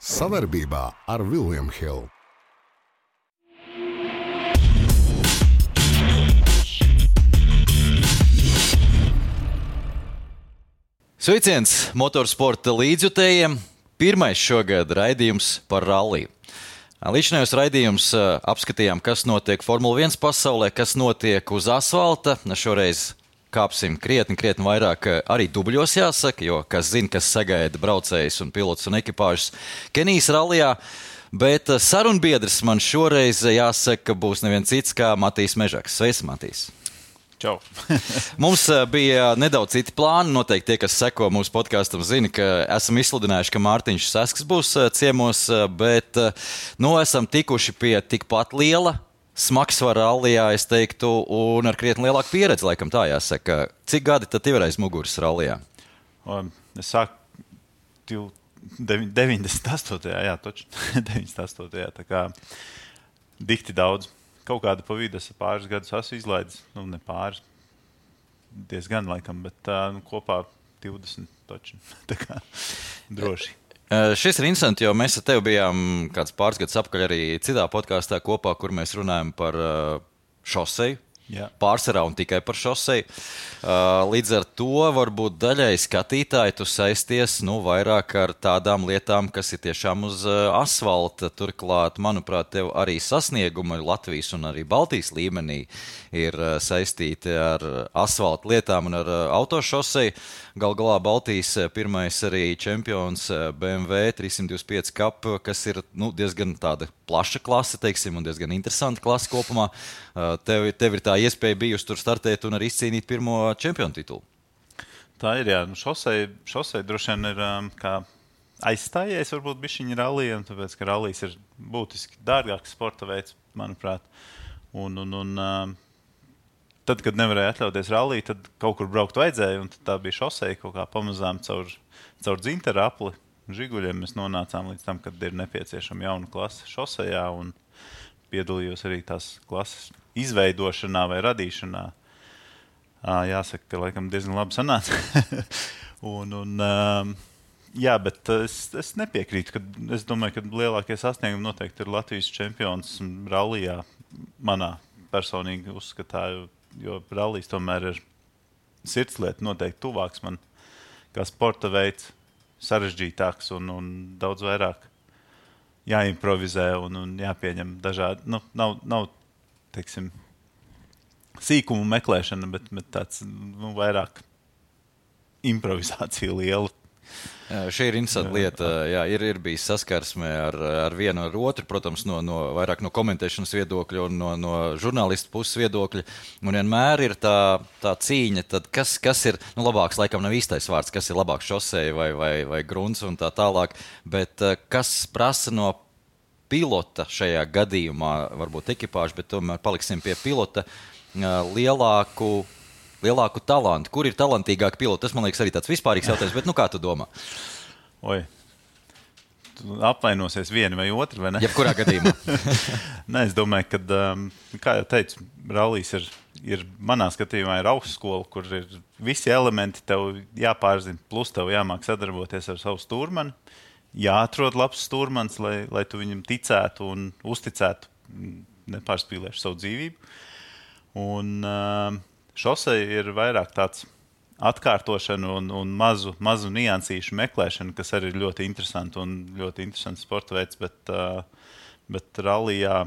Savarbībā ar William Hill. Sveiciens motorsporta līdzjutējiem. Pirmais šogad raidījums par ralliju. Līdzinājos raidījums apskatījām, kas notiek Formula 1 pasaulē, kas notiek uz asfalta. Šoreiz kāpsim krietni vairāk arī dubļos jāsaka, jo kas zina, kas sagaida braucējus un pilotus un ekipāžus Kenijas rallijā. Bet sarunbiedrs man šoreiz jāsaka būs neviens cits kā Matīs Mežaks. Sveiks, Matīs! Čau. Mums bija nedaudz citi plāni. Noteikti tie, kas seko mūsu podkastam, zina, ka esam izsludinājuši, ka Mārtiņš Sasks būs ciemos, bet esam tikuši pie tikpat liela smagsvara rallijā, es teiktu, un ar krietni lielāku pieredzi, laikam tā jāsaka. Cik gadi tad tev ir aiz muguras rallijā? Es sāku 98. Jā, toči 98. Tā kā dikti daudz. Kaut kāda pa vidu pāris gadus esmu izlaidis. Ne pāris, diezgan laikam, bet kopā 20 toči. Tā kā droši. Šis ir interesanti, jo mēs ar tevi bijām kāds pāris gadus apakaļ arī citā podkāstā kopā, kur mēs runājam par šoseju. Jā. Pārsvarā un tikai par šoseju. Līdz ar to varbūt daļai skatītāji tu saisties vairāk ar tādām lietām, kas ir tiešām uz asfalta. Turklāt, manuprāt, tev arī sasniegumi Latvijas un arī Baltijas līmenī ir saistīti ar asfalta lietām un ar autošoseju. Gal galā Baltijas pirmais arī čempions BMW 325 Cup, kas ir diezgan tāda plaša klase, teiksim, un diezgan interesanta klase kopumā. Tev ir tā iespēja bijusi tur startēt un arī izcīnīt pirmo čempionu titulu. Tā ir, jā. Šosei droši vien ir kā aizstājies varbūt bišķiņi rallijiem, tāpēc, ka rallijs ir būtiski dārgāks sporta veids, manuprāt. Tad, kad nevarēja atļauties ralliju, tad kaut kur braukt vajadzēja, un tā bija šosei kaut kā pamazām caur dzinteru apli. Žiguļiem mēs nonācām līdz tam, kad ir nepieciešama jauna klase šosejā, un piedalījos arī tās klases izveidošanā vai radīšanā. Jāsaka, ka laikam diezgan labi sanāca. Jā, bet es nepiekrītu. Es domāju, ka lielākie sasniegumi noteikti ir Latvijas čempions rallijā manā personīgi uzskatā, jo rallijs tomēr ir sirdslieta noteikti tuvāks man kā sporta veids, sarežģītāks un daudz vairāk jāimprovizē un jāpieņem dažādi. Nav teiksim, sīkumu meklēšana, bet tāds vairāk improvizācija liela. Šī ir interesanta lieta. Jā, ir bijis saskarsme ar vienu ar otru, protams, vairāk no komentēšanas viedokļa un no žurnālistu puses viedokļa. Un vienmēr ir tā cīņa, tad kas ir, labāks laikam nav īstais vārds, kas ir labāks šoseja vai grunts un tā tālāk, bet kas prasa no pilota šajā gadījumā, varbūt ekipāžu, bet tomēr paliksim pie pilota, lielāku talantu. Kur ir talantīgāki piloti? Tas, man liekas, arī tāds vispārīgs jautājums, bet kā tu domā? Tu apvainosies vieni vai otru, vai ne? Jebkurā gadījumā. Nē, es domāju, ka, kā jau teicu, rallijs ir manā skatījumā ir augstskola, kur ir visi elementi tev jāpārzina, plus tev jāmāk sadarboties ar savu stūrmani. Jāatrod labs stūrmans, lai tu viņam ticētu un uzticētu, nepārspīlēšu savu dzīvību. Un šosei ir vairāk tāds atkārtošana un mazu niansīšu meklēšana, kas arī ir ļoti interesanti un ļoti interesants sporta veids, bet rallijā,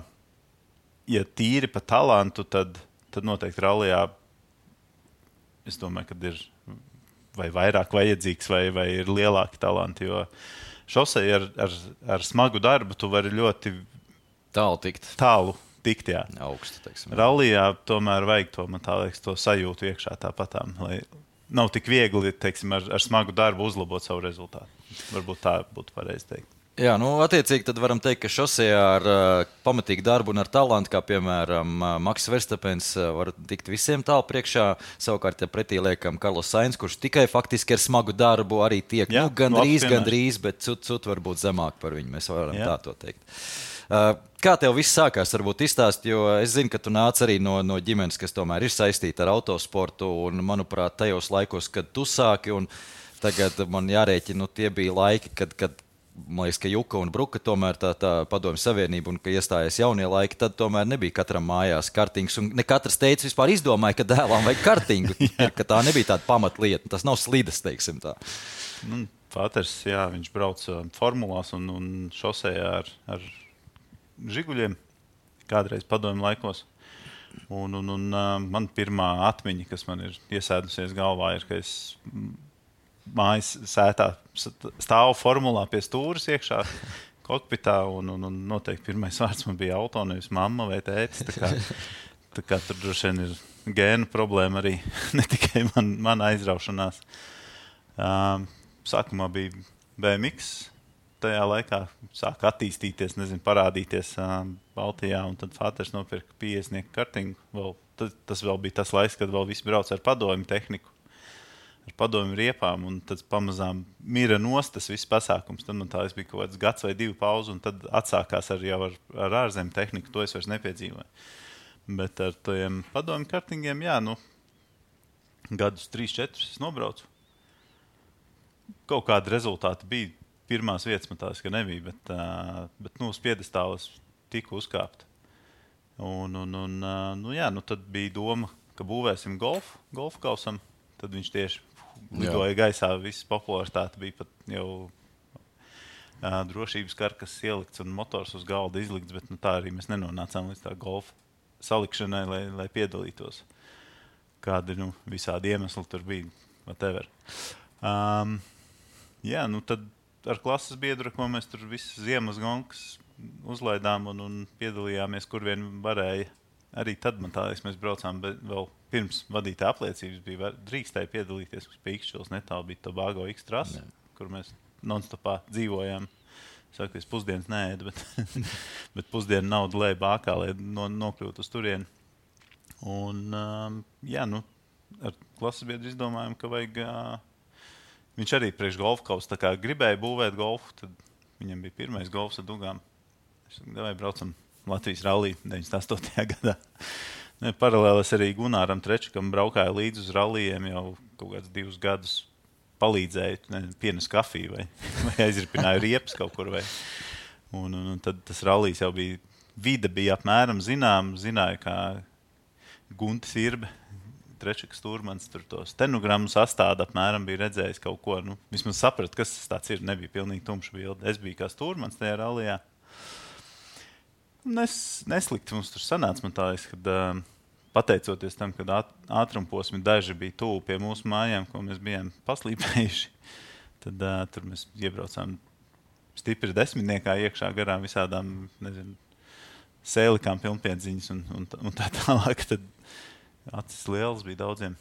ja tīri pa talantu, tad noteikti rallijā, es domāju, kad ir vai vairāk vajadzīgs vai ir lielāki talanti, jo šosei ar smagu darbu tu vari ļoti tālu tikt, jā. Augstu, teiksim. Rallijā tomēr vajag to sajūtu iekšā tāpatām, lai nav tik viegli, teiksim, ar smagu darbu uzlabot savu rezultātu. Varbūt tā būtu pareizi teikt. Jā, attiecīgi tad varam teikt, ka šosejā ar pamatīgu darbu un ar talantu, kā piemēram Maks Verstapens, var tikt visiem tālu priekšā. Savukārt, ja pretī liekam Karlos Sainz, kurš tikai faktiski ar smagu darbu arī tiek, gandrīz, bet cut varbūt zemāk par viņu. Mēs varam tā to teikt. Kā tev viss sākās? Varbūt izstāst, jo es zinu, ka tu nāc arī no ģimenes, kas tomēr ir saistīta ar autosportu, un, manuprāt, tajos laikos, kad tu sāki, un tagad man jārēķina, tie bija laiki, kad man liekas, ka Juka un Bruka tomēr tā padomju savienība un ka iestājās jaunie laiki, tad tomēr nebija katram mājās kartings. Un ne katrs teica vispār izdomāja, ka dēlam vajag kartingu, ka tā nebija tāda pamatlieta. Tas nav slides, teiksim tā. Pāters, jā, viņš brauc formulās un šosejā ar žiguļiem kādreiz padomju laikos. Un man pirmā atmiņa, kas man ir iesēdusies galvā, ir, ka es mājas sētā stāvu formulā pie stūres iekšā kokpitā, un noteikti pirmais vārds man bija auto, nevis mamma vai tētis. Tā kā tur droši vien ir gēnu problēma arī, ne tikai man aizraušanās. Sākumā bija BMX, tajā laikā sāka attīstīties, parādīties Baltijā, un tad Fāters nopirka 50 kartingu. Tas vēl bija tas laiks, kad vēl visi brauc ar padomju tehniku, ar padomju riepām, un tad pamazām mira nost tas viss pasākums. Tad man tā bija kaut kāds gads vai 2 pauze, un tad atsākās ar ārzemju tehniku. To es vairs nepiedzīvoju. Bet ar tiem padomju kartingiem, jā, gadus 3-4 es nobraucu. Kaut kādi rezultāti bija. Pirmās vietas man tās, ka nebija, bet uz piedestālas tika uzkāpt. Jā, tad bija doma, ka būvēsim golfu kausam. Tad viņš tieši lidoja gaisā, viss popularitāte bija pat jau drošības karkas ielikts un motors uz galda izlikts, bet tā arī mēs nenonācām līdz tā golfa salikšanai, lai piedalītos. Kādi visādi iemesli tur bija, whatever. Jā, tad ar klases biedru, ko mēs tur visas ziemas gonkas uzlaidām un piedalījāmies, kur vien varēja. Arī tad man tā, mēs braucām, bet vēl pirms vadītā apliecības bija drīkstēja piedalīties pie Ikšķilas netālu, bija Tobago X trasa, kur mēs non-stopā dzīvojām. Sākties pusdienas neēda, bet pusdienu naudu lēja bākā, lai nokļūtu uz turieni. Jā, ar klases biedru izdomājām, ka vajag... Viņš arī priekš golfa kausa, tā kā gribēja būvēt golfu, tad viņam bija pirmais golfs ar dugām. Es domāju, braucam Latvijas rallī 98. gadā. Paralēli es arī Gunāram Trečakam braukāju līdzi uz rallijiem jau kaut kāds 2 gadus. Palīdzēju, pienes kafiju vai aizripināju riepas kaut kur. Un tad tas rallijs jau bija, vide bija apmēram zināju, kā Guntis Irbe. Trečakas stūrmans tur to stenogrammu sastāda apmēram bija redzējis kaut ko. Vismaz sapratu, kas tas tāds ir. Nebija pilnīgi tumša bilde. Es biju kā stūrmans tajā rallijā. Neslikti mums tur sanāca. Man tā liekas, kad pateicoties tam, kad ātrumposmi daži bija tuvu pie mūsu mājām, ko mēs bijām paslīpējuši, tad tur mēs iebraucām stipri 10 iekšā garām visādām, sēlikām pilnpiedziņas un tā tālāk. Tad acis lielas bija daudziem.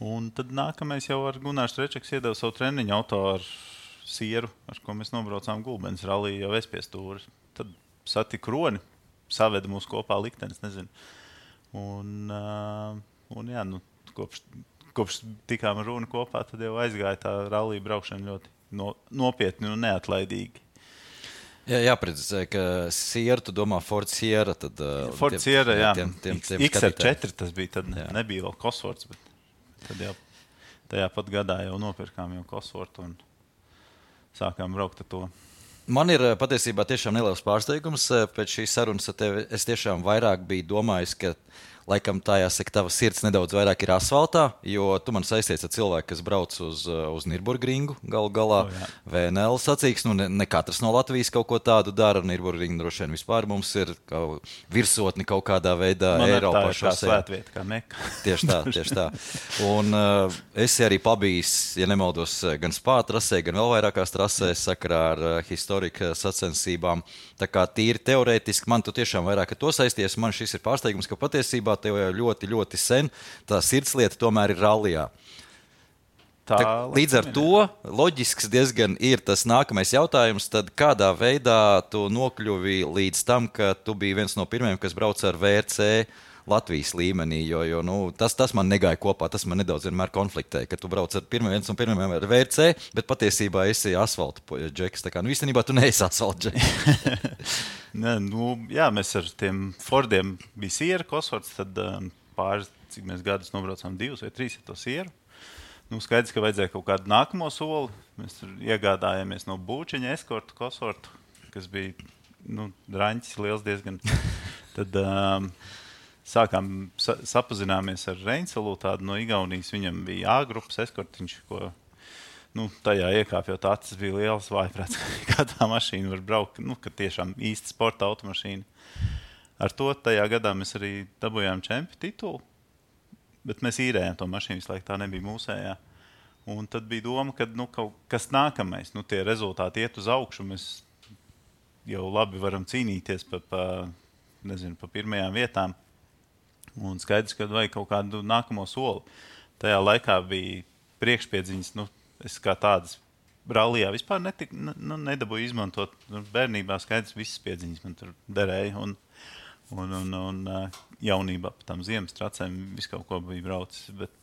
Un tad nākamais jau ar Gunārs Trečaks iedeva savu treniņu auto ar sieru, ar ko mēs nobraucām Gulbenes rallī jau es pie stūras. Tad satiku Roni, saveda mūs kopā liktenis, nezinu. Un jā, kopš tikām ar Roni kopā, tad jau aizgāja tā rallī braukšana ļoti nopietni un neatlaidīgi. Jā, jāprecizē, ka Sierra, tu domā Ford Sierra, tad... Ford Sierra, jā. Tiem XR4 tas bija, tad nebija vēl Cosworths, bet tad jau tajā pat gadā jau nopirkām jau Cosworth un sākām braukt ar to. Man ir patiesībā tiešām neliels pārsteigums pēc šīs sarunas ar tevi. Es tiešām vairāk biju domājis, ka laikam tā jāsaka, tava sirds nedaudz vairāk ir asfaltā, jo tu man saisties ar cilvēku, kas brauc uz Nürburgringu galu galā. VNL sacīks, ne katrs no Latvijas kaut ko tādu dara. Nürburgringa droši vien vispār mums ir virsotni kaut kādā veidā Eiropā. Man ir tā kā svētvieta, kā Meka. Tieši tā. Un esi arī pabijis, ja nemaldos, gan Spā trasē, gan vēl vairākās trasēs sakarā ar historika sacensībām. Tā kā tīri teorētiski man tu tiešām vairāk ar to saisties. Man šis ir pārsteigums, ka patiesībā tev jau ļoti, ļoti sen tā sirdslieta tomēr ir rallijā. Līdz ar to loģisks diezgan ir tas nākamais jautājums, tad kādā veidā tu nokļuvi līdz tam, ka tu biji viens no pirmajiem, kas brauc ar VRC Latvijas līmenī, jo tas man negāja kopā, tas man nedaudz vienmēr konfliktēja, ka tu brauc ar viens no pirmajiem ar VRC, bet patiesībā esi asfalta džeks. Tā kā, īstenībā tu neesi asfalta džeks. Jā, mēs ar tiem Fordiem bija Sierra, Cosworths, tad pāris, cik mēs gadus nobraucām 2 vai 3 ar to Sierru. Skaidrs, ka vajadzēja kaut kādu nākamo soli. Mēs tur iegādājāmies no Būčiņa eskortu, kosortu, kas bija draņķis liels diezgan. Tad sākām sapazināmies ar Reinsalu, tādu no Igaunijas. Viņam bija A-grupas eskortiņš, ko tajā iekāpjot acis bija liels vājprāts, kā tā mašīna var braukt, ka tiešām īsta sporta automašīna. Ar to tajā gadā mēs arī dabūjām čempi titulu, bet mēs īrējām to mašīnu, visu laiku tā nebija mūsējā. Un tad bija doma, ka kaut kas nākamais, tie rezultāti iet uz augšu, mēs jau labi varam cīnīties pa pirmajām vietām. Un skaidrs, ka vajag kaut kādu nākamo soli. Tajā laikā bija priekšpiedziņas, es kā tādas rallijā vispār nedabūju izmantot. Bērnībā skaidrs, visas piedziņas man tur derēja. Un jaunībā pa tām ziemas tracēm visu kaut ko bija braucis. Bet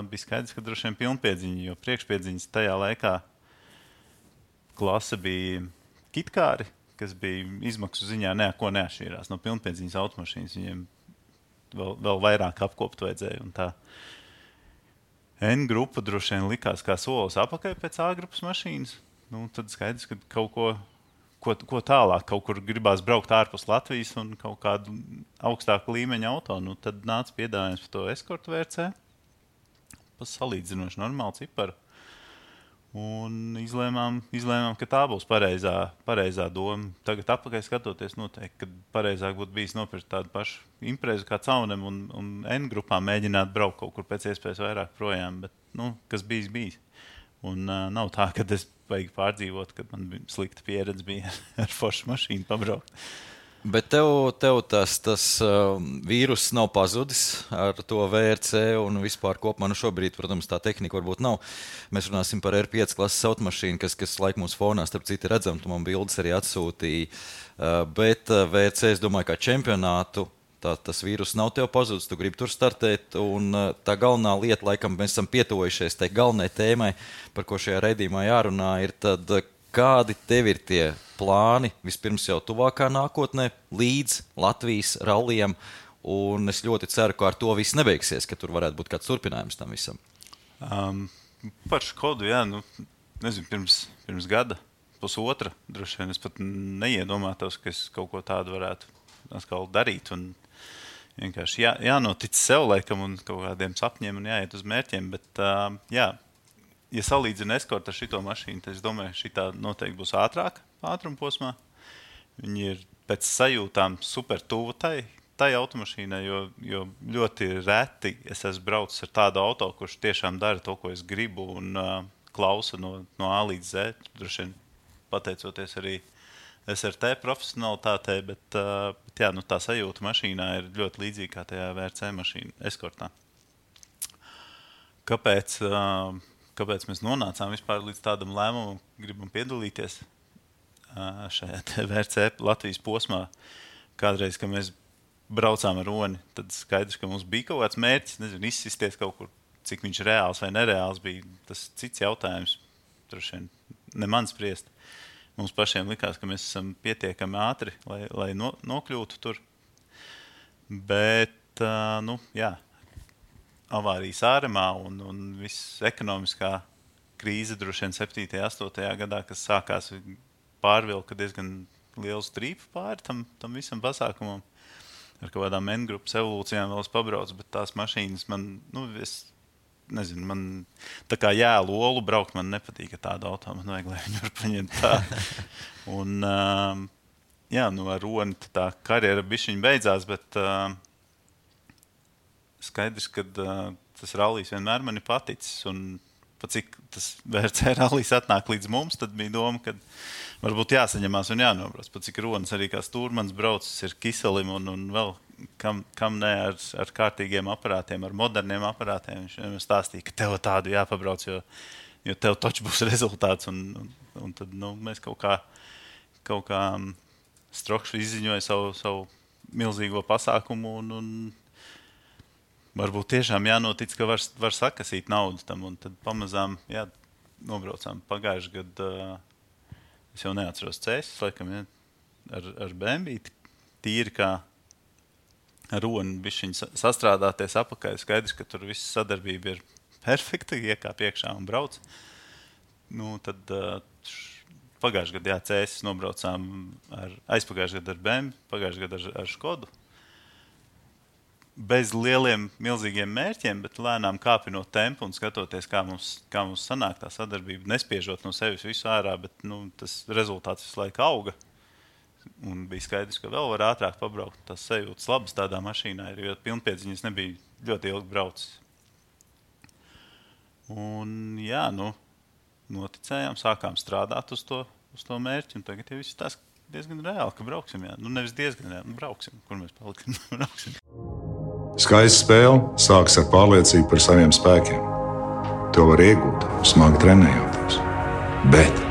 bija skaidrs, ka droši vien pilnpiedziņa, jo priekšpiedziņas tajā laikā klase bija kitkāri, kas bija izmaksu ziņā neko neatšķīrās no pilnpiedziņas automašīnas. Viņiem vēl vairāk apkopt vajadzēja. Un tā N grupa droši vien likās kā solis apakai pēc A grupas mašīnas. Tad skaidrs, ka kaut ko tālāk, kaut kur gribās braukt ārpus Latvijas un kaut kādu augstāku līmeņa auto. Tad nāca piedāvājums par to eskortu VRC. Pa salīdzinoši normālu ciparu. Un izlēmām, ka tā būs pareizā doma. Tagad atpakaļ skatoties noteikti, kad pareizāk būtu bijis nopirkt tādu pašu imprezu kā Caunem un N grupā mēģināt braukt kaut kur pēc iespējas vairāk projām, bet, kas bijis. Un nav tā, ka es vajag pārdzīvot, kad man bija slikta pieredze bija ar foršu mašīnu pabraukt. Bet tev tas vīruss nav pazudis ar to VRC un vispār kopumā. Šobrīd, protams, tā tehnika varbūt nav. Mēs runāsim par R5 klases automašīnu, kas laik mūsu fonā, starp citu redzam, tu man bildes arī atsūtīji. Bet VRC, es domāju, kā čempionātu, tas vīruss nav tev pazudis, tu gribi tur startēt. Un tā galvenā lieta, laikam, mēs esam pietuvojušies tai galvenai tēmai, par ko šajā raidījumā jārunā, ir tad, kādi tev ir tie plāni vispirms jau tuvākā nākotnē līdz Latvijas rallijam, un es ļoti ceru, ka ar to viss nebeigsies, ka tur varētu būt kāds turpinājums tam visam. Par Škodu, nezinu, pirms gada, pusotra, droši vien es pat neiedomātos, ka es kaut ko tādu varētu atkal darīt, un vienkārši jānotic sev laikam un kaut kādiem sapņiem un jāiet uz mērķiem, bet ja salīdzina eskortu ar šito mašīnu, tad es domāju, šitā noteikti būs ātrāk ātrumposmā. Viņi ir pēc sajūtām super tuvu tai automašīnai, jo ļoti reti es esmu braucis ar tādu auto, kurš tiešām dara to, ko es gribu un klausa no A līdz Z. Droši vien pateicoties arī SRT profesionalitātei, bet tā sajūta mašīnā ir ļoti līdzīga kā tajā VRC mašīna eskortā. Kāpēc mēs nonācām vispār līdz tādam lēmumam, gribam piedalīties šajā VRC Latvijas posmā? Kādreiz, kad mēs braucām ar Roni, tad skaidrs, ka mums bija kaut kāds mērķis, nezinu, izsisties kaut kur, cik viņš reāls vai nereāls bija. Tas cits jautājums, droši vien ne man spriest. Mums pašiem likās, ka mēs esam pietiekami ātri, lai nokļūtu tur. Bet, avārijas āremā un viss ekonomiskā krīze droši vien 7. 8. gadā, kas sākās pārvilka diezgan lielu strīpu pāri tam visam pasākumam. Ar kaut kādām N-grupas evolūcijām vēl es pabraucu, bet tās mašīnas man, es nezinu, man tā kā jēlu olu braukt, man nepatīk tādu auto, man vajag, lai viņu var paņemt tā. Un, ar Roni tā karjera bišķiņ beidzās, bet skaidrs, ka tas rallijs vienmēr man ir paticis, un pat cik tas VRC rallijs atnāk līdz mums, tad bija doma, ka varbūt jāsaņemās un jānobrauc. Pat cik Ronis arī kā stūrmans braucis ir Kiselim un vēl kam ne ar kārtīgiem aparātiem, ar moderniem aparātiem. Viņš vienmēr stāstīja, ka tev tādu jāpabrauc, jo tev taču būs rezultāts. Un tad mēs kaut kā Strokšs izziņoja savu milzīgo pasākumu un varbūt tiešām jānotic, ka var sakasīt naudu tam, un tad pamazām, nobraucām pagājuši gadu, es jau neatceros cēsis, laikam, ar BMW, tīri kā ar Roni bišķiņ sastrādāties apakai, skaidrs, ka tur viss sadarbība ir perfekti, iekāp iekšā un brauc. Tad pagājušajā gadā CS nobraucām aizpagājušajā gadā ar BMW, pagājušajā gadā ar Škodu. Bez lieliem, milzīgiem mērķiem, bet lēnām kāpinot tempu un skatoties, kā mums sanāk tā sadarbība, nespiežot no sevis visu ārā, bet tas rezultāts visu laiku auga. Un bija skaidrs, ka vēl var ātrāk pabraukt. Tas sajūtas labas tādā mašīnā, jo pilnpiedziņas nebija ļoti ilgi braucis. Un noticējām, sākām strādāt uz to mērķi, un tagad jau viss tas diezgan reāli, ka brauksim. Jā. Nevis diezgan reāli, brauksim, kur mēs palikam, brauksim. Skaista spēle sākas ar pārliecību par saviem spēkiem. To var iegūt, smagi trenējoties. Bet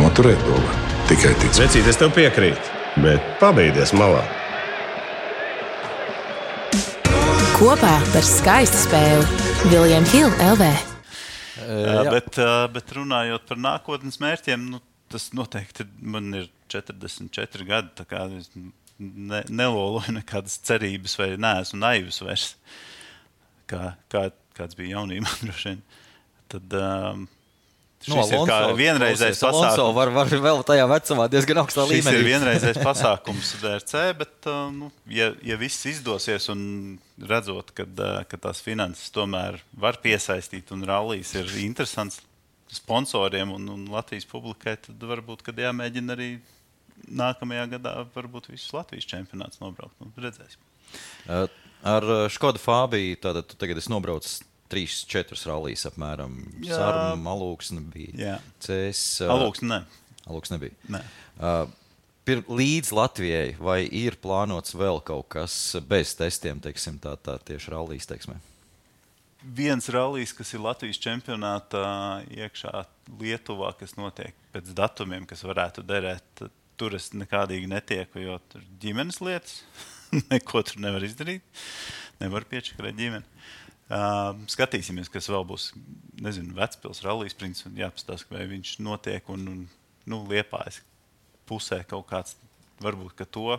noturēt to var tikai ticēt. Vecīt, es tev piekrītu, bet pabeigties malā. Kopā par skaistu spēli William Hill LV. Bet runājot par nākotnes mērķiem, tas noteikti man ir 44 gadi, tā kā es neloloju nekādas cerības vai neesmu naivs vairs, kāds bija jaunībā droši vien. Tad šis ir kā vienreizējs pasākums. Alonso var vēl tajā vecumā diezgan augstā līmenī. Šis ir vienreizējs pasākums DRC, bet ja viss izdosies un redzot, ka tās finanses tomēr var piesaistīt un rallijas ir interesants sponsoriem un Latvijas publikai, tad varbūt, kad jāmēģina arī nākamajā gadā varbūt visus Latvijas čempionāts nobraukt. Redzēsim. Ar Škoda Fabiju tātad tu tagad esi nobraucis 3-4 rallijas apmēram. Sarma, Alūksne bija. CS. Alūksne nebija. Nē. Līdz Latvijai vai ir plānots vēl kaut kas bez testiem, teiksim, tā tieši rallijas, teiksim? Viens rallijs, kas ir Latvijas čempionātā iekšā Lietuvā, kas notiek pēc datumiem, kas varētu derēt, tur es nekādīgi netieku, jo tur ģimenes lietas, neko tur nevar izdarīt, nevar piečakarēt ģimeni. Skatīsimies, kas vēl būs, nezinu, Vecpils rallijs, principā jāpastāst, vai viņš notiek un Liepājas pusē kaut kāds, varbūt, ka to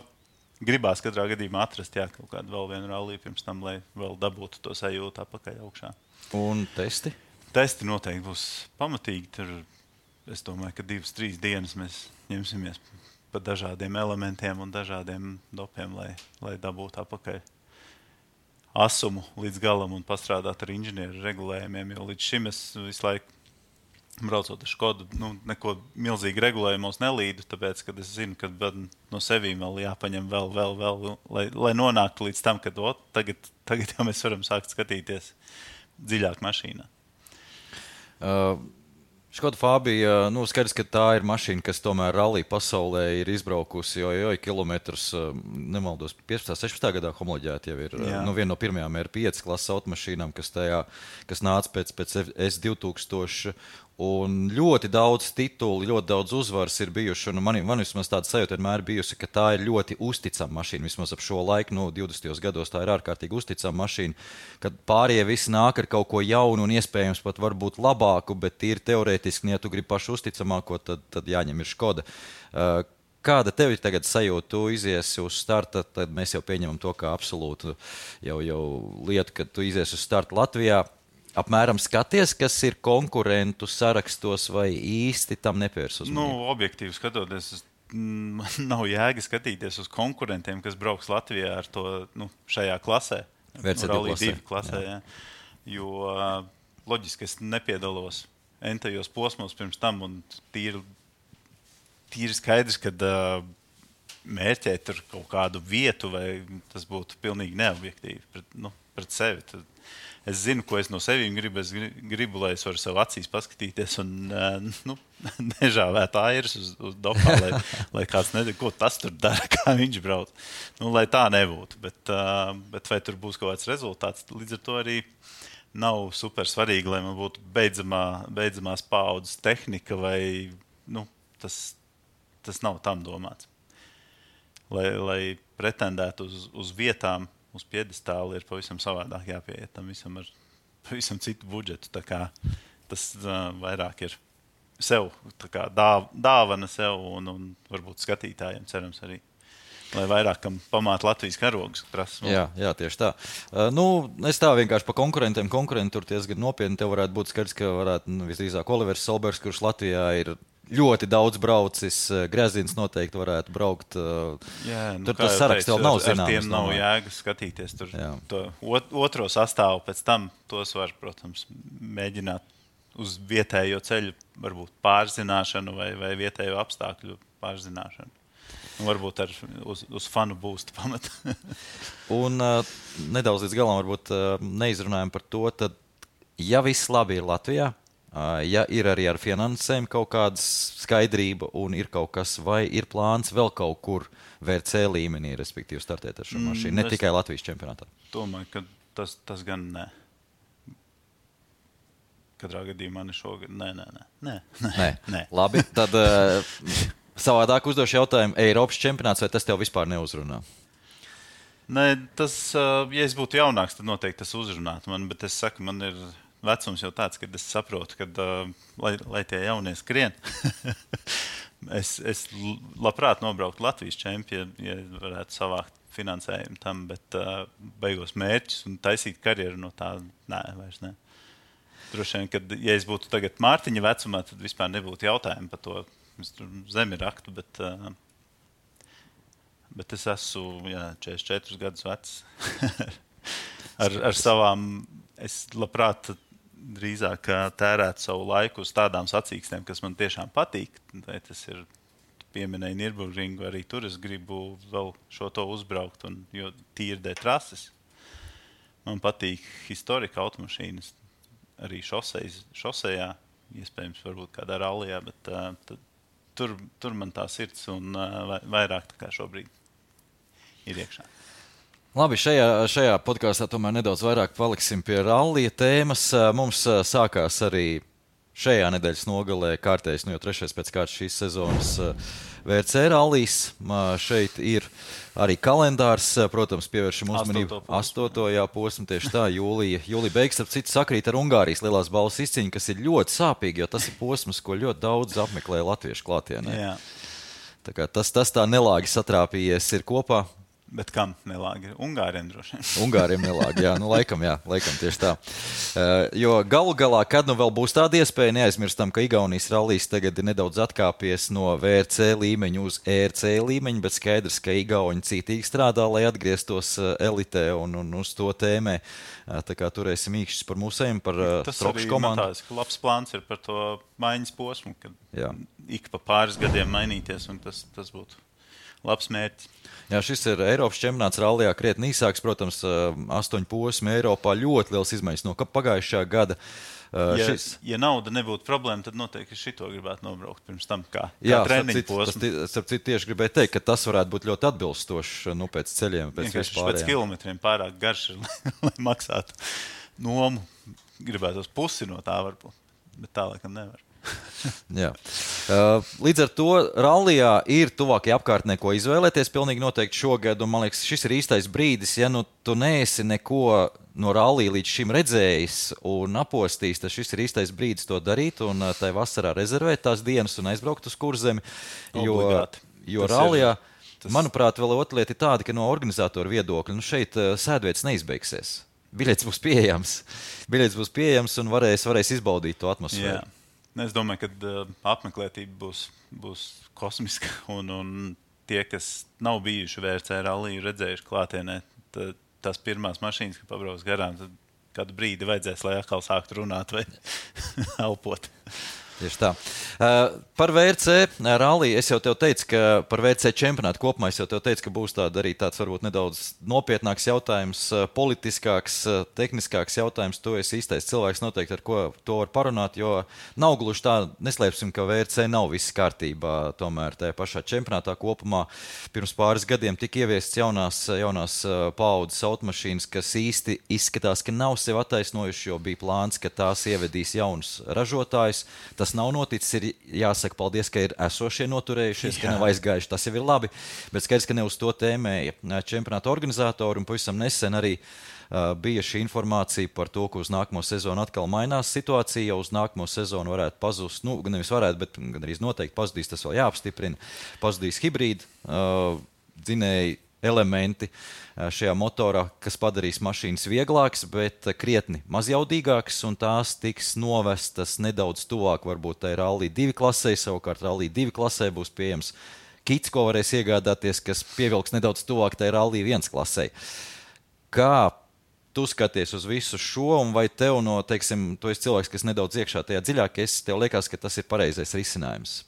gribās katrā gadījumā atrast, kaut kādu vēl vienu ralliju pirms tam, lai vēl dabūtu to sajūtu apakaļ augšā. Un testi? Testi noteikti būs pamatīgi. Tur, es domāju, ka 2-3 dienas mēs ņemsimies pa dažādiem elementiem un dažādiem dopiem, lai dabūtu apakaļ asumu līdz galam un pastrādāt ar inženieru regulējumiem, jo līdz šim es visu laiku braucot ar Škodu, neko milzīgi regulējumos nelīdu, tāpēc, kad es zinu, ka no sevīm vēl jāpaņem vēl, lai nonāktu līdz tam, kad tagad jau mēs varam sākt skatīties dziļāk mašīnā. Škoda Fabija, skaidrs, ka tā ir mašīna, kas tomēr rallija pasaulē ir izbraukusi, jo kilometrus, nemaldos, 15-16 gadā homoloģēta jau ir viena no pirmajām R5 klases automašīnām, kas nāca pēc S2000. Un ļoti daudz titulu, ļoti daudz uzvaras ir bijuši. Man vismaz tāda sajūta vienmēr bijusi, ka tā ir ļoti uzticama mašīna. Vismaz ap šo laiku, 20. gados, tā ir ārkārtīgi uzticama mašīna. Kad pārējie visi nāk ar kaut ko jaunu un iespējams pat varbūt labāku, bet ir teorētiski, ja tu gribi pašu uzticamāko, tad jāņem ir Škoda. Kāda tev ir tagad sajūta? Tu iziesi uz starta, tad mēs jau pieņemam to kā absolūtu jau lietu, kad tu iziesi uz starta Latvijā. Apmēram skaties, kas ir konkurentu sarakstos vai īsti tam nepievērs uzmanību? Objektīvi skatoties, man nav jēga skatīties uz konkurentiem, kas brauks Latvijā ar to šajā klasē. VC2 klasē. Jā. Jo loģiski es nepiedalos entajos posmos pirms tam un tīri skaidrs, ka mērķēt tur kaut kādu vietu vai tas būtu pilnīgi neobjektīvi pret sevi. Tad es zinu, ko es no sevīm gribu. Es gribu, lai es varu sev acīs paskatīties un nežāvēt airas uz dopā, lai kāds nezinu, ko tas tur dara, kā viņš brauc. Lai tā nebūtu. Bet vai tur būs kaut kāds rezultāts, līdz ar to arī nav super svarīgi, lai man būtu beidzamās paaudzes tehnika vai tas nav tam domāts. Lai pretendētu uz vietām, uz piedestāli ir pavisam savādāk jāpieiet tam visam ar pavisam citu budžetu. Tā kā tas vairāk ir sev, tā kā dāvana sev un varbūt skatītājiem cerams arī. lai vairākam pamāt Latvijas karogus prasa. Jā, tieši tā. Es tā vienkārši pa konkurentiem. Konkurenti tur diezgan nopietni. Tev varētu būt skaidrs, ka varētu visdrīzāk Olivers Solbergs, kurš Latvijā ir ļoti daudz braucis. Grezins noteikti varētu braukt. Tur tas saraksts vēl nav zināms. Ar tiem nav jēgas skatīties. Tur to otro sastāvu pēc tam tos var, protams, mēģināt uz vietējo ceļu, varbūt pārzināšanu vai vietējo apstākļu pārzināšanu. Varbūt uz fanu būstu pamat. Un nedaudz līdz galam varbūt neizrunājam par to, tad, ja viss labi ir Latvijā, ja ir arī ar finansēm kaut kāda skaidrība un ir kaut kas, vai ir plāns vēl kaut kur VRC līmenī, respektīvi startēt ar šo mašīnu, ne tikai Latvijas čempionātā? Domāju, ka tas gan ne. Katrā gadījumā ne šogad. Nē. Labi, tad savādāk uzdošu jautājumu. Eiropas čempionāts, vai tas tev vispār neuzrunā? Nē, tas, ja es būtu jaunāks, tad noteikti tas uzrunātu man, bet es saku, man ir vecums jau tāds, kad es saprotu, kad, lai tie jaunie skrien, es labprāt nobrauktu Latvijas čempionu, ja varētu savākt finansējumu tam, bet beigos mērķus un taisīt karjeru no tā, vairs ne. Droši vien, kad, ja es būtu tagad Mārtiņa vecumā, tad vispār nebūtu jautājumu par to. Es tur zemi raktu, bet es esmu 44 gadus vecs. ar savām, es labprāt drīzāk tērētu savu laiku uz tādām sacīkstēm, kas man tiešām patīk. Vai tas ir pieminēja Nürburgringu, arī tur es gribu vēl šo to uzbraukt, jo tīri dēļ trases. Man patīk historika automašīnas. Arī šosejā, iespējams, varbūt kādā rallijā, bet tur man tā sirds un vairāk tā kā šobrīd ir iekšā. Labi, šajā podkāstā tomēr nedaudz vairāk paliksim pie rallija tēmas. Mums sākās arī šajā nedēļas nogalē kārtējs, jau trešais pēc kārtas šīs sezonas VRC rallijs. Šeit ir arī kalendārs, protams, pievēršam uzmanību 8. posmu, tieši tā, jūlija beigas, ap citu sakrīt ar Ungārijas lielās balvas izcīņu, kas ir ļoti sāpīgi, jo tas ir posms, ko ļoti daudz apmeklē latviešu klātienē. Jā. Tā kā tas tā nelāgi satrāpījies ir kopā. Bet kam nelāgi? Ungāriem droši vien. Ungāriem nelāgi, laikam tieši tā. Jo galu galā, kad nu vēl būs tāda iespēja, neaizmirstam, ka Igaunijas rallijs tagad ir nedaudz atkāpies no VRC līmeņa uz ERC līmeņa, bet skaidrs, ka Igauni cītīgi strādā, lai atgrieztos elitē un uz to tēmē. Tā kā turēsim īkšķis par mūsējiem, par Stropšu komandu. Tas arī labs plāns ir par to maiņas posmu, kad ik pa pāris gadiem mainīties, un tas būtu labs mērķis. Jā, šis ir Eiropas čempionāts rallijā krietni īsāks, protams, 8 posmi Eiropā, ļoti liels izmaiņas no pagājušā gada. Ja nauda nebūtu problēma, tad noteikti šito gribētu nobraukt pirms tam, kā treniņu posmu. Starp citu tieši gribēju teikt, ka tas varētu būt ļoti atbilstoši pēc ceļiem, pēc vispārējiem. Pēc kilometriem pārāk garš ir, lai maksātu nomu. Gribētos pusi no tā varbūt, bet tā laikam nevar. Jā. Līdz ar to rallijā ir tuvākie apkārtnē, ko izvēlēties pilnīgi noteikti šogad, un man liekas, šis ir īstais brīdis, ja tu neesi neko no rallija līdz šim redzējis un apostījis, tad šis ir īstais brīdis to darīt un tai vasarā rezervēt tās dienas un aizbraukt uz Kurzemi, jo rallijā, manuprāt, vēl otra lieta ir tāda, ka no organizatoru viedokļa, šeit sēdvietas neizbeigsies. Biļets būs pieejams un varēs izbaudīt to atmosfēru. Jā. Es domāju, ka apmeklētība būs kosmiska, un tie, kas nav bijuši VRC ralliju, redzējuši klātienē, tās pirmās mašīnas, ka pabrauc garām, tad kādu brīdi vajadzēs, lai atkal sāktu runāt vai elpot. Tieši tā. Par VRC ralliju es jau tev teicu, ka par VRC čempionātu kopumā es jau tev teicu, ka būs arī tāds varbūt nedaudz nopietnāks jautājums, politiskāks, tehniskāks jautājums. Tu esi īstais cilvēks noteikti, ar ko to var parunāt, jo nav gluži tā, neslēpsim, ka VRC nav viss kārtībā. Tomēr tajā pašā čempionātā kopumā pirms pāris gadiem tika ieviestas jaunās paaudzes automašīnas, kas īsti izskatās, ka nav sevi attaisnojuši, jo bija plāns, ka tās ievedīs jaunus ražotājus. Tas nav noticis, ir jāsaka paldies, ka ir esošie noturējušies, ka nav aizgājuši, tas jau ir labi, bet skaidrs, ka ne uz to tēmēja čempionāta organizatori, un pavisam nesen arī bija šī informācija par to, ka uz nākamo sezonu atkal mainās situācija, jau uz nākamo sezonu varētu pazust, nevis varētu, bet gan arī noteikti pazudīs, tas vēl jāapstiprina, pazudīs hibrīdi. dzinēji elementi šajā motorā, kas padarīs mašīnas vieglākas, bet krietni mazjaudīgākas, un tās tiks novestas nedaudz tuvāk, varbūt tai Rally 2 klasē, savukārt Rally 2 klasē būs pieejams kits, ko varēs iegādāties, kas pievilks nedaudz tuvāk tai Rally 1 klasē. Kā tu skaties uz visu šo, un vai tev teiksim, tu esi cilvēks, kas nedaudz iekšā tajā dziļāk, tev liekas, ka tas ir pareizais risinājums?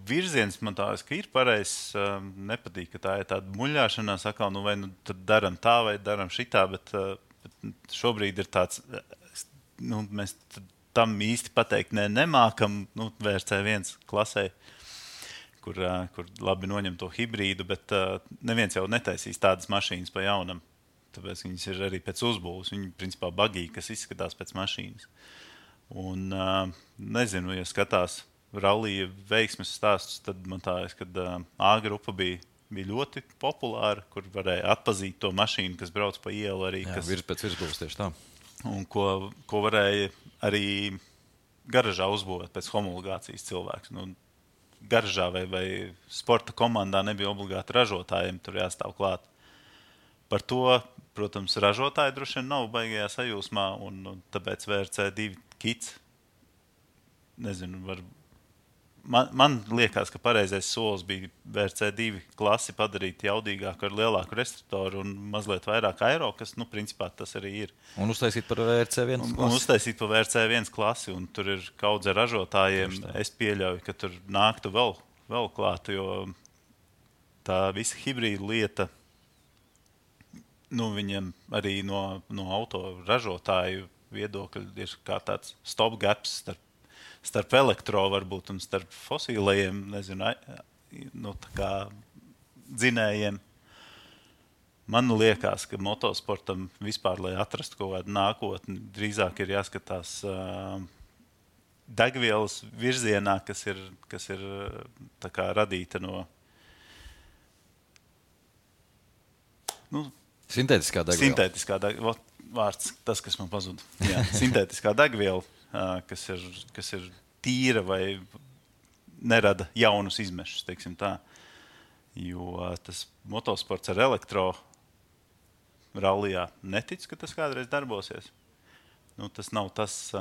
Virziens man tādas, ka ir pareizs, nepatīk, ka tā ir tāda muļāšanās, atkal, vai tad daram tā, vai daram šitā, bet šobrīd ir tāds, mēs tam īsti pateikt nemākam, VRC1 klasē, kur labi noņem to hibrīdu, bet neviens jau netaisīs tādas mašīnas pa jaunam, tāpēc viņas ir arī pēc uzbūves, viņi principā bagīgi, kas izskatās pēc mašīnas. Un nezinu, ja skatās Rallija veiksmes stāstus, tad man tā, kad A grupa bija ļoti populāra, kur varēja atpazīt to mašīnu, kas brauc pa ielu arī. Jā, pēc virsbūves tieši tā. Un ko varēja arī garažā uzbūvēt pēc homologācijas cilvēks. Garažā vai sporta komandā nebija obligāti ražotājiem, tur jāstāv klāt. Par to, protams, ražotāji droši vien nav baigajā sajūsmā, un tāpēc VRC2 kits, nezinu, Man liekas, ka pareizais solis bija VRC2 klasi padarīt jaudīgāku ar lielāku restriktoru un mazliet vairāk aero, kas, principā tas arī ir. Un uztaisīt par VRC1 klasi. Un uztaisīt par VRC1 klasi, un tur ir kaudze ražotājiem. Es pieļauju, ka tur nāktu vēl klāt, jo tā visa hibrīda lieta, viņiem arī no auto ražotāju viedokļa ir kā tāds stopgaps starp elektro varbūt un starp fosīlajiem, nezinu, tā kā dzinējiem. Man liekas, ka motosportam vispār, lai atrastu kaut kādu nākotni, drīzāk ir jāskatās degvielas virzienā, kas ir tā kā radīta no sintētiskā degviela. Sintētiskā degviela, vārds, tas, kas man pazuda. Jā, sintētiskā degviela. Kas ir tīra vai nerada jaunus izmešus, teiksim tā. Jo tas motosports ar elektro rallijā netic, ka tas kādreiz darbosies. Tas nav tas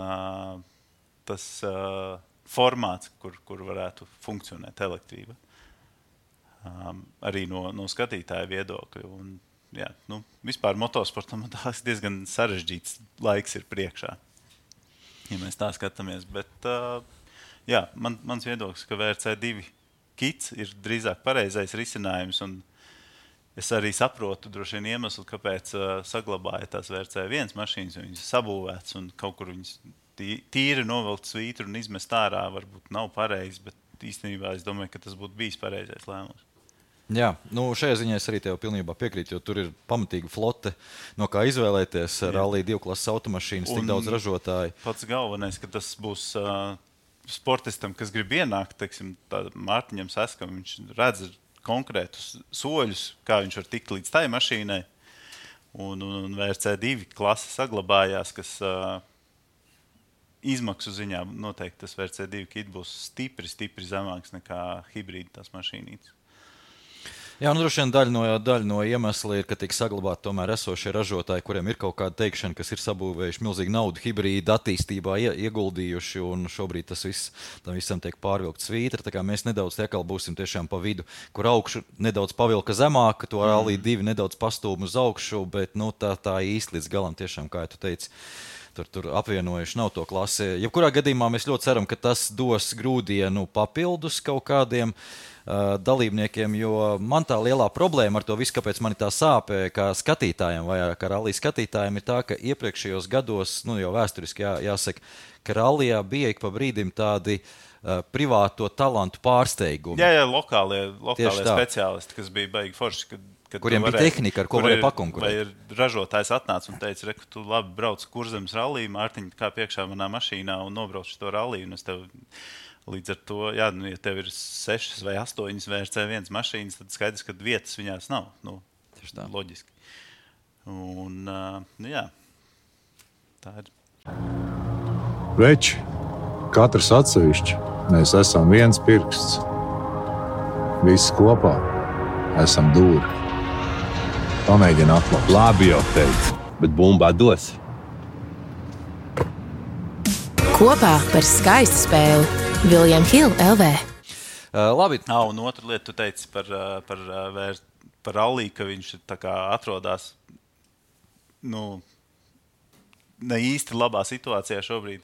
formāts, kur varētu funkcionēt elektrība. Arī no skatītāja viedokļa. Un, jā, vispār motosportam tās diezgan sarežģīts laiks ir priekšā. Ja mēs tā skatāmies, bet mans viedoklis, ka VRC2 kits ir drīzāk pareizais risinājums, un es arī saprotu droši vien iemeslu, kāpēc saglabāja tās VRC1 mašīnas, jo viņas sabūvētas un kaut kur viņas tīri novilkt svītru un izmest ārā varbūt nav pareizi, bet īstenībā es domāju, ka tas būtu bijis pareizais lēmums. Jā, šajā ziņā es arī tev pilnībā piekrītu, jo tur ir pamatīga flote, no kā izvēlēties Rally 2 klases automašīnas, tik daudz ražotāju. Pats galvenais, ka tas būs sportistam, kas grib ienākt, teiksim, Mārtiņam Seskam, viņš redz konkrētus soļus, kā viņš var tikt līdz tai mašīnai, un VRC2 klase saglabājās, kas izmaksu ziņā noteikti tas VRC2 kit būs stipri zemāks nekā hibrīda tās mašīnītes. Jā, droši vien daļa no iemesla ir, ka tiek saglabāti tomēr esošie ražotāji, kuriem ir kaut kāda teikšana, kas ir sabūvējuši milzīgu naudu hibrīda attīstībā ieguldījuši, un šobrīd tam visam tiek pārvilkt svītra, tā kā mēs nedaudz atkal būsim tiešām pa vidu, kur augšu nedaudz pavilka zemāk, to Rally 2 nedaudz pastūm uz augšu, bet tā īsti līdz galam tiešām, kā tu teici, tur apvienojuši nav to klasi. Jebkurā gadījumā mēs ļoti ceram, ka tas dos grūdienu papildus kaut kādiem dalībniekiem, jo man tā lielā problēma ar to visu, kāpēc man tā sāpē, kā skatītājiem vai kā rallija skatītājiem, ir tā, ka iepriekšējos gados, jau vēsturiski jāsaka, ka rallijā bija ik pa brīdim tādi privāto talantu pārsteigumi. Jā, lokālie speciālisti, kas bija baigi forši, kuriem bija tehnika, ar ko varēja pakonkurēt. Vai ražotājs atnāca un teica, ka tu labi brauc Kurzemes ralliju, Mārtiņ, kā priekšā manā mašīnā un nobrauc to ralliju, un es tev līdz ar to, ja tev ir 6 vai 8 VRC1 mašīnas, tad skaidrs, ka vietas viņās nav. Loģiski. Un, jā, tā ir. Veči, katrs atsevišķi, mēs esam viens pirksts. Visi kopā esam dūri. Pamēģini atklāt. Labi jau teicu, bet bumbā dos. Kopā par skaistu spēli William Hill LV. Labi. Un otru lietu tu teici par Rallī, ka viņš tā kā atrodas ne īsti labā situācijā šobrīd.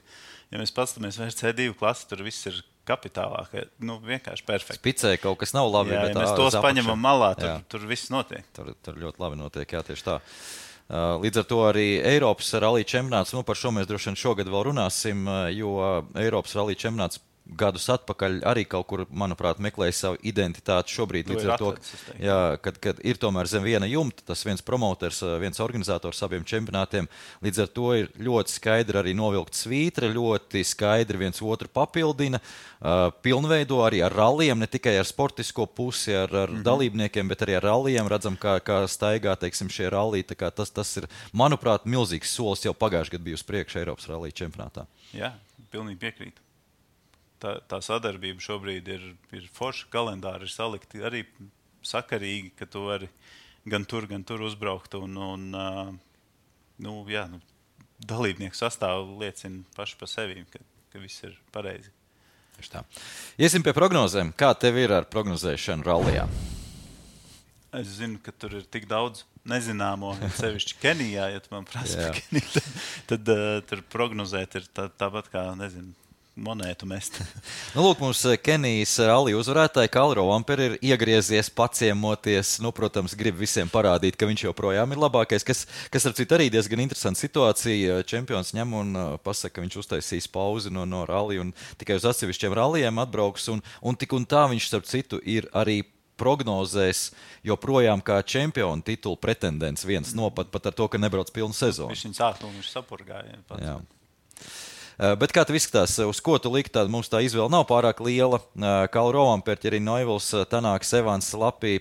Ja mēs paskatāmies vairs C2 klasi, tur viss ir kapitālāk. Vienkārši perfekti. Spicē kaut kas nav labi. Jā, ja mēs tos paņemam malā, tur viss notiek. Tur ļoti labi notiek, jā, tieši tā. Līdz ar to arī Eiropas rallija čempionāts, par šo mēs droši vien šogad vēl runāsim, jo Eiropas rallija čempionāts gadus atpakaļ arī kaut kur, manuprāt, meklēja savu identitāti šobrīd. Līdz ar to, kad ir tomēr zem viena jumta, tas viens promoters, viens organizators abiem čempionātiem, līdz ar to ir ļoti skaidri arī novilkt svītra, ļoti skaidri viens otru papildina, pilnveido arī ar rallijiem, ne tikai ar sportisko pusi, ar dalībniekiem, bet arī ar rallijiem. Redzam, kā staigā, teiksim, šie ralliji. Tā kā tas ir, manuprāt, milzīgs solis jau pagājušajā gadā bija uz priekšu Eiropas rallija čempionātā. Jā, pilnīgi piekrītu. Tā sadarbība šobrīd ir forša, kalendāri ir salikti arī sakarīgi, ka tu vari gan tur uzbraukt. Dalībnieku sastāvu liecina paši par sevi, ka viss ir pareizi. Iesim pie prognozēm. Kā tev ir ar prognozēšanu rallijā? Es zinu, ka tur ir tik daudz nezināmo, sevišķi Kenijā, ja tu man prasi par Keniju, tad tur prognozēt ir tāpat kā, nezinu, monētu mest. Lūk, mums Kenijas rallija uzvarētāji Kalle Rovanpera ir iegriezies, paciemoties. Protams, grib visiem parādīt, ka viņš joprojām ir labākais, kas ar citu arī diezgan interesanta situācija. Čempions ņem un pasaka, ka viņš uztaisīs pauzi no rallija un tikai uz atsevišķiem rallijiem atbrauks. Un tik un tā viņš, starp citu, ir arī prognozēs joprojām kā čempionu titulu pretendents viens pat ar to, ka nebrauc pilnu sezonu. Viņš sākumā viņš sapurgāja. Jā. Bet kā tev izskatās, uz ko tu likt, mums tā izvēle nav pārāk liela. Kalle Rovanpera, arī Neuvils, Tanāks, Evans, Lapī,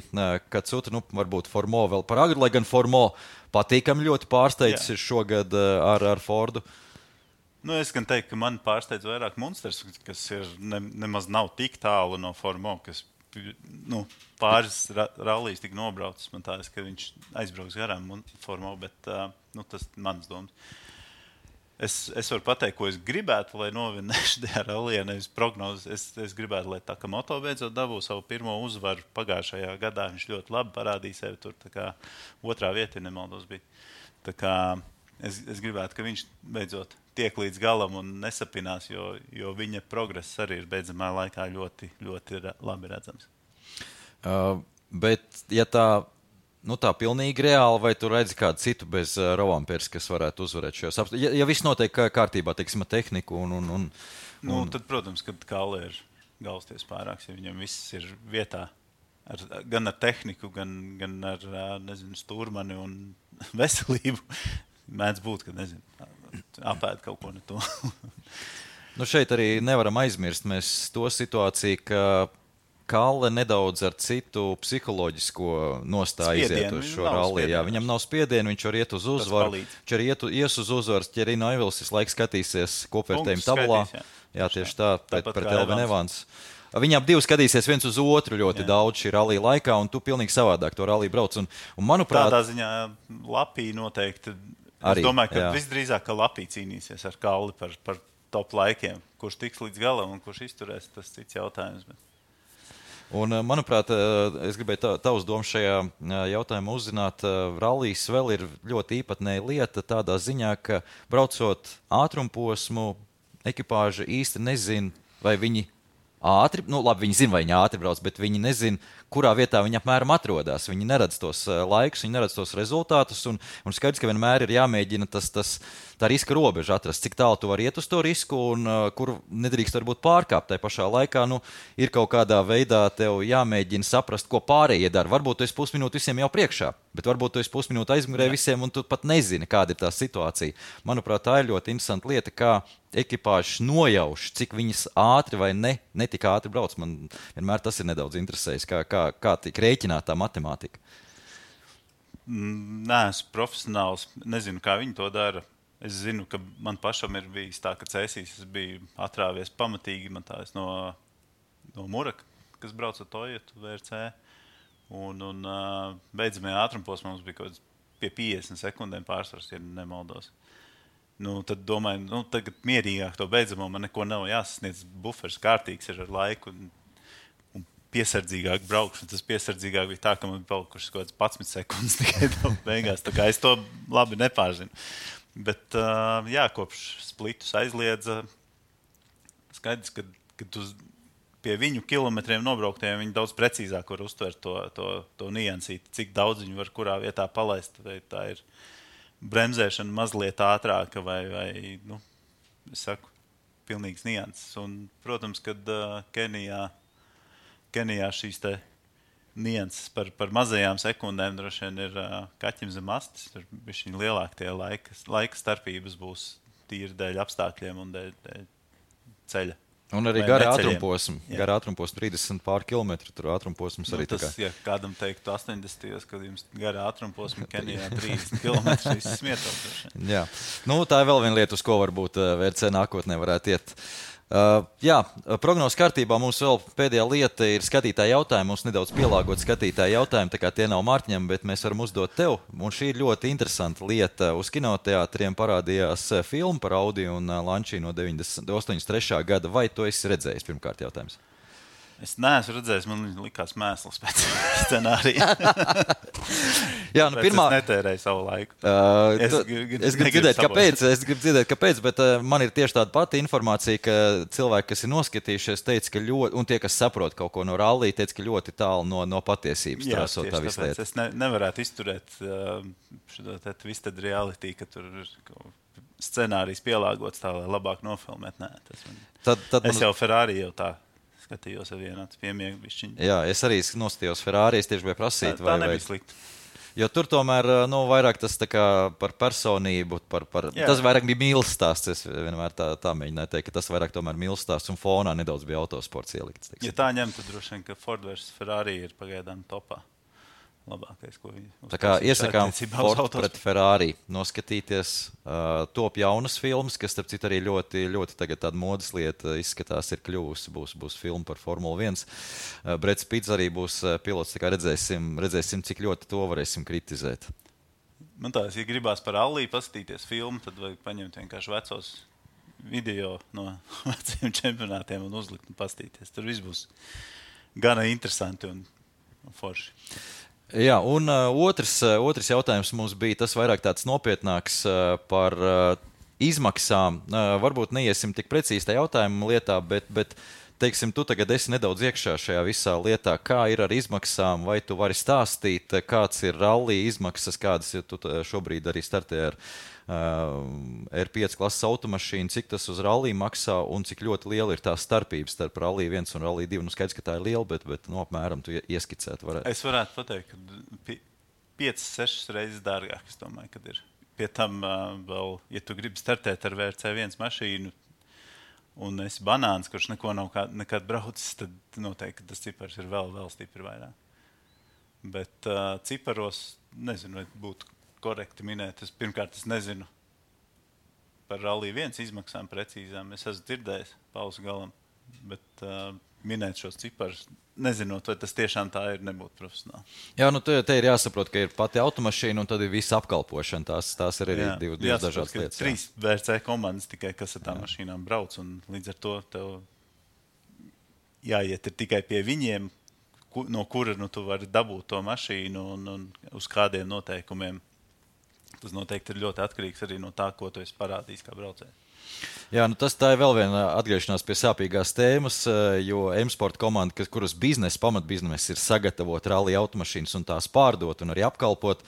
Katsuta, varbūt Formo vēl par agru, lai gan Formo patīkami ļoti pārsteidzis ir šogad ar Fordu. Es gan teiktu, ka man pārsteidz vairāk Munsters, kas ir nemaz nav tik tālu no Formo, kas pāris rallijas tik nobraucis. Man tādas, ka viņš aizbrauks garām Formo, bet tas mans domas. Es varu pateikt, ko es gribētu, lai novinēšu tajā rallijā, nevis prognozes. Es gribētu, lai Takamoto beidzot dabū savu pirmo uzvaru pagājušajā gadā. Viņš ļoti labi parādīja sevi tur, tā kā otrā vieta, ja nemaldos bija. Tā kā es gribētu, ka viņš beidzot tiek līdz galam un nesapinās, jo viņa progress arī ir beidzamā laikā ļoti, ļoti labi redzams. Bet, ja tā pilnīgi reāli, vai tu redzi kādu citu bez Rovanperas, kas varētu uzvarēt šajos apstākļos? Ja viss notiek kārtībā, teiksim, ar tehniku tad, protams, kad Kalle ir galvasties pārāks, ja viņam viss ir vietā, gan ar tehniku, gan ar, stūrmani un veselību, mēdz būt, ka, apēd kaut ko ne to. Šeit arī nevaram aizmirst mēs to situāciju, ka Kalle nedaudz ar citu psiholoģisko nostāju iziet uz šo ralliju. Viņam nav spiedienu, viņš var iet uz uzvaru. Viņš arī ies uz uzvaru, ja arī Neuvils visu laiku skatīsies kopvērtējuma tabulā. Jā, tieši tā, pret Elvin Evans. Viņi ap divi skatīsies viens uz otru ļoti daudz šī rallija laikā, un tu pilnīgi savādāk to ralliju brauc. Un, manuprāt, tādā ziņā Lapī noteikti. Es domāju, ka visdrīzāk, ka Lapī cīnīsies ar Kalli par top laikiem. Kurš tiks līdz galam un kurš izturēs, tas cits jautājums. Un, manuprāt, es gribēju tavus domas šajā jautājumā uzzināt. Rallijs vēl ir ļoti īpatnēja lieta tādā ziņā, ka braucot ātrumposmu, ekipāža īsti nezin, vai viņi ātri, labi, viņi zina, vai viņi ātri brauc, bet viņi nezin, kurā vietā viņi apmēram atrodas. Viņi neredz tos laikus, viņi neredz tos rezultātus, un skaidrs, ka vienmēr ir jāmēģina tā riska robeža atrast, cik tālu tu vari iet uz to risku un kur nedrīkst varbūt pārkāpt. Tai pašā laikā ir kaut kādā veidā tev jāmēģina saprast, ko pārējie dara. Varbūt tu esi pusminūti visiem jau priekšā, bet varbūt tu esi pusminūti aizmugurē visiem un tu pat nezini, kāda ir tā situācija. Manuprāt, tā ir ļoti interesanta lieta, kā ekipāžas nojauš, cik viņas ātri vai ne tik ātri brauc. Man vienmēr tas ir nedaudz interesējis, kā tiek rēķināta tā matemātika. Nē, esmu profesionāls. Nezinu, kā viņi to dara. Es zinu, ka man pašam ir bijis tā, ka cēsīs es biju atrāvies pamatīgi. Man tā no Muraka, kas brauc ar Toyotu VRC. Un beidzamajā ātrumposmā mums bija kaut kāds pie 50 sekundēm pārsvars, ja nemaldos. Tad domāju, tagad mierīgāk to beidzamo, man neko nav jāsasniedz, bufers kārtīgs ir ar laiku un piesardzīgāk braukšu. Tas piesardzīgāk bija tā, ka man bija palikušas kaut kāds 11 sekundes tikai beigās, tā kā es to labi nepārzinu. Bet, kopš splitus aizliedza, skaidrs, ka tu pie viņu kilometriem nobrauktiem viņi daudz precīzāk var uztvert to niansīti, cik daudz viņi var kurā vietā palaist, vai tā ir bremzēšana mazliet ātrāka vai es saku, pilnīgs nianses. Un, protams, kad Kenijā šīs te nianses par mazajām sekundēm droši vien ir kaķim zem astes, tur bišķiņ lielāk tie laika starpības būs tīri dēļ apstākļiem un dēļ ceļa. Un arī gara ātrumposma, 30 pār kilometru, tur ātrumposms arī tas, ja kādam teiktu 80, kad jums gara ātrumposma Kenijā 30 km, viss smietos. Jā, tā ir vēl viena lieta, uz ko varbūt VRC nākotnē varētu iet. Prognozes kārtībā mums vēl pēdējā lieta ir skatītāja jautājumi. Mums nedaudz pielāgot skatītāja jautājumi, tā kā tie nav Mārtiņam, bet mēs varam uzdot tev. Un šī ir ļoti interesanta lieta. Uz kinoteātriem parādījās filma par Audi un Lancia no 83. gada. Vai tu esi redzējis? Pirmkārt jautājums. Es neesmu redzējis, man likās mēsls pēc scenārija. Es netērēju savu laiku. Es gribu dzirdēt, kāpēc, bet man ir tieši tāda pati informācija, ka cilvēki, kas ir noskatījušies, teica, ka ļoti, un tie, kas saprot kaut ko no rallija, teica, ka ļoti tālu no patiesības. Jā, tieši tāpēc es nevarētu izturēt šo twisted reality, ka tur ir scenārijs pielāgots tā, lai labāk nofilmēt. Nē, es jau Ferrari jau tā skatījos ar vienāds piemiegu bišķiņu. Jā, es arī noskatījos Ferrari, es tieši biju prasīt. Tā nebija slikti. Jo tur tomēr vairāk tas tā kā par personību, tas vairāk bija mīlestāsts. Es vienmēr tā mēģināju teikt, ka tas vairāk tomēr mīlestāsts un fonā nedaudz bija autosports ielikts. Ja tā ņem, tad droši vien, ka Ford versus Ferrari ir pagaidām topā. Labākais, ko viņi uzklausīja. Tā kā iesakām Ford pret Ferrari noskatīties, top jaunas filmas, kas, starp citu, arī ļoti, ļoti tagad tāda modas lieta izskatās ir kļuvusi, būs filma par Formula 1. Breds Pitts arī būs pilots, tā kā redzēsim, cik ļoti to varēsim kritizēt. Man tā, ja gribās par Alliju paskatīties filmu, tad vajag paņemt vienkārši vecos video no veciem čempionātiem un uzlikt un paskatīties. Tur viss būs gana interesanti un forši. Jā, un otrs jautājums mums bija tas vairāk tāds nopietnāks par izmaksām. Varbūt neiesim tik precīzi tajā jautājuma lietā, bet teiksim, tu tagad esi nedaudz iekšā šajā visā lietā. Kā ir ar izmaksām? Vai tu vari stāstīt, kāds ir rallija izmaksas, kādas tu šobrīd arī startē ar R5 klases automašīnu, cik tas uz rallija maksā un cik ļoti liela ir tā starpības starp rallija 1 un rallija 2. Skaidrs, ka tā ir liela, bet apmēram tu ieskicēt varētu. Es varētu pateikt, ka 5-6 reizes dārgāk, es domāju, kad ir. Pie tam vēl, ja tu gribi startēt ar VRC1 mašīnu un esi banāns, kurš neko nav nekad braucis, tad noteikti tas cipars ir vēl stipri vairāk. Bet ciparos, nezinu, vai būtu korekti minēt. Pirmkārt, es nezinu par Rallija 1 izmaksām precīzām. Es esmu dzirdējis pausu galam, bet minēt šos ciparus, nezinot, vai tas tiešām tā ir, nebūtu profesionāli. Jā, te ir jāsaprot, ka ir pati automašīna un tad ir visa apkalpošana. Tās ir arī divas dažādas lietas. 3 VRC komandas tikai, kas ar tām mašīnām brauc, un līdz ar to tev jāiet ir tikai pie viņiem, no kura tu vari dabūt to mašīnu un uz kādiem noteikumiem. Tas noteikti ir ļoti atkarīgs arī no tā, ko tu esi parādījis kā braucējs. Jā, tā ir vēl viena atgriešanās pie sāpīgās tēmas, jo M-Sport komanda, kuras pamatbiznesa ir sagatavot rallija automašīnas un tās pārdot un arī apkalpot,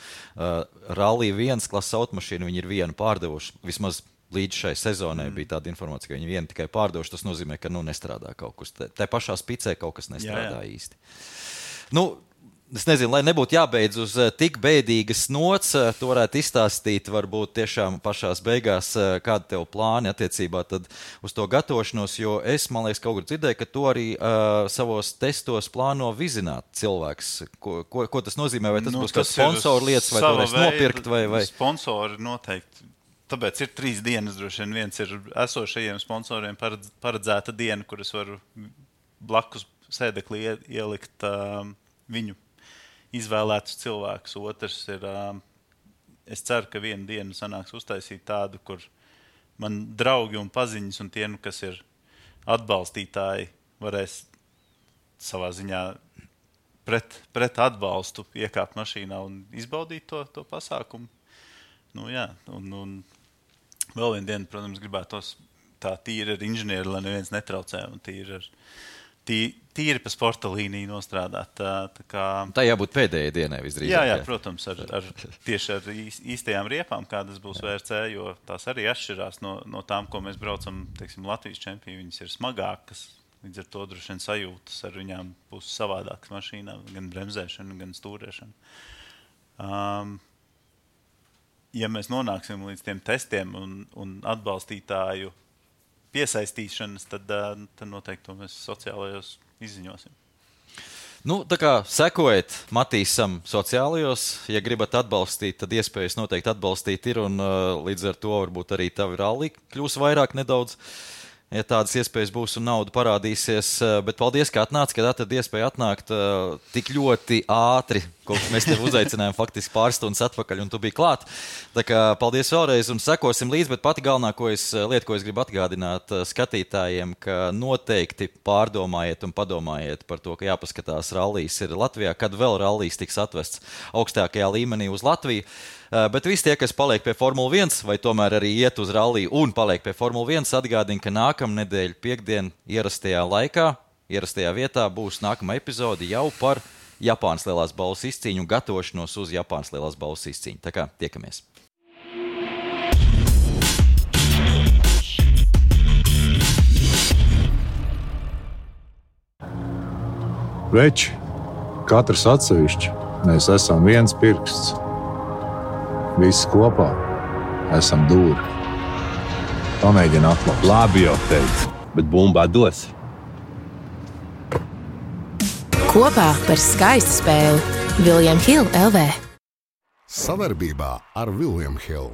rallija 1 klases automašīnu viņi ir vienu pārdevuši. Vismaz līdz šai sezonai bija tāda informācija, ka viņi vienu tikai pārdevuši. Tas nozīmē, ka nestrādā kaut kas. Tā pašā spicē kaut kas nestrādā īsti. Es nezinu, lai nebūtu jābeidz uz tik bēdīgas nots, tu varētu izstāstīt varbūt tiešām pašās beigās, kāda tev plāni attiecībā tad uz to gatavošanos, jo es, man liekas, kaut kur dzirdēju, ka tu arī savos testos plāno vizināt cilvēks. Ko tas nozīmē? Vai tas būs kā sponsoru lietas, vai to varēs nopirkt? Vai? Sponsori noteikti. Tāpēc ir 3 dienas droši vien. Viens ir esošajiem sponsoriem paredzēta diena, kur es varu blakus sēdeklī ielikt viņu izvēlētus cilvēkus. Otrs ir, es ceru, ka vienu dienu sanāks uztaisīt tādu, kur man draugi un paziņas un tie, kas ir atbalstītāji, varēs savā ziņā pret atbalstu iekāpt mašīnā un izbaudīt to pasākumu. Nu, jā, un vēl vienu dienu, protams, gribētos tā tīri ar inženieri, lai neviens netraucē un tīri pa sporta līniju nostrādāt. Tā jābūt pēdējai dienai visdrīzāk. Jā, protams, tieši ar īstajām riepām, kādas būs VRC, jo tās arī atšķirās no tām, ko mēs braucam, teiksim, Latvijas čempioni. Viņas ir smagākas, līdz ar to droši vien sajūtas ar viņām būs savādākas mašīnā, gan bremzēšana, gan stūrēšana. Ja mēs nonāksim līdz tiem testiem un atbalstītāju piesaistīšanas, tad noteikti to mēs sociālajos izziņosim. Nu, tā kā sekojiet Matīsam sociālajos, ja gribat atbalstīt, tad iespējas noteikti atbalstīt ir, un līdz ar to varbūt arī tavi ralli kļūs vairāk nedaudz, ja tādas iespējas būs un nauda parādīsies. Bet paldies, ka atnāc, kad atad iespēja atnākt tik ļoti ātri, ko mēs tev uzaicinājām faktiski pāris stundas atpakaļ, un tu biji klāt. Tā kā paldies vēlreiz un sekosim līdz, bet pati galvenā lieta, ko es gribu atgādināt skatītājiem, ka noteikti pārdomājiet un padomājiet par to, ka jāpaskatās rallijas ir Latvijā, kad vēl rallijas tiks atvests augstākajā līmenī uz Latviju. Bet visi tie, kas paliek pie Formula 1 vai tomēr arī iet uz ralliju un paliek pie Formula 1, atgādina, ka nākamnedēļ piekdien ierastajā laikā, ierastajā vietā būs nākamā epizode jau par Japānas lielās balvas izcīņu un gatavošanos uz Japānas lielās balvas izcīņu. Tā kā tiekamies! Veči, katrs atsevišķi, mēs esam viens pirksts. Visi kopā esam dūri. Pamēģini atklāt. Labi jau teicu, bet bumbā dos. Kopā par skaistu spēli William Hill LV. Savarbībā ar William Hill.